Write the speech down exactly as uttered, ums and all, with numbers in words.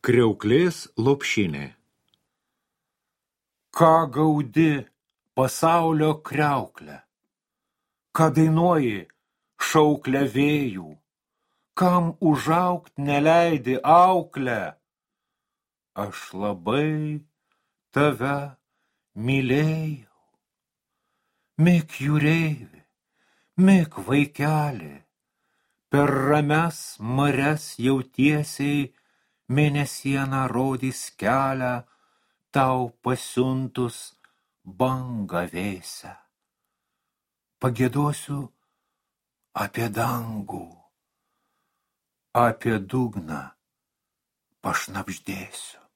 Kriauklės lopšinė. Ką gaudi pasaulio kriauklę? Ką dainuoji šauklę vėjų? Kam užaugt neleidi auklę? Aš labai tave mylėjau. Mik jūreivi, mik vaikeli, per ramias marias jautiesiai mėnesiena rodys kelią tau pasiuntus bangą vėsią. Pagiedosiu apie dangų, apie dugną pašnabždėsiu.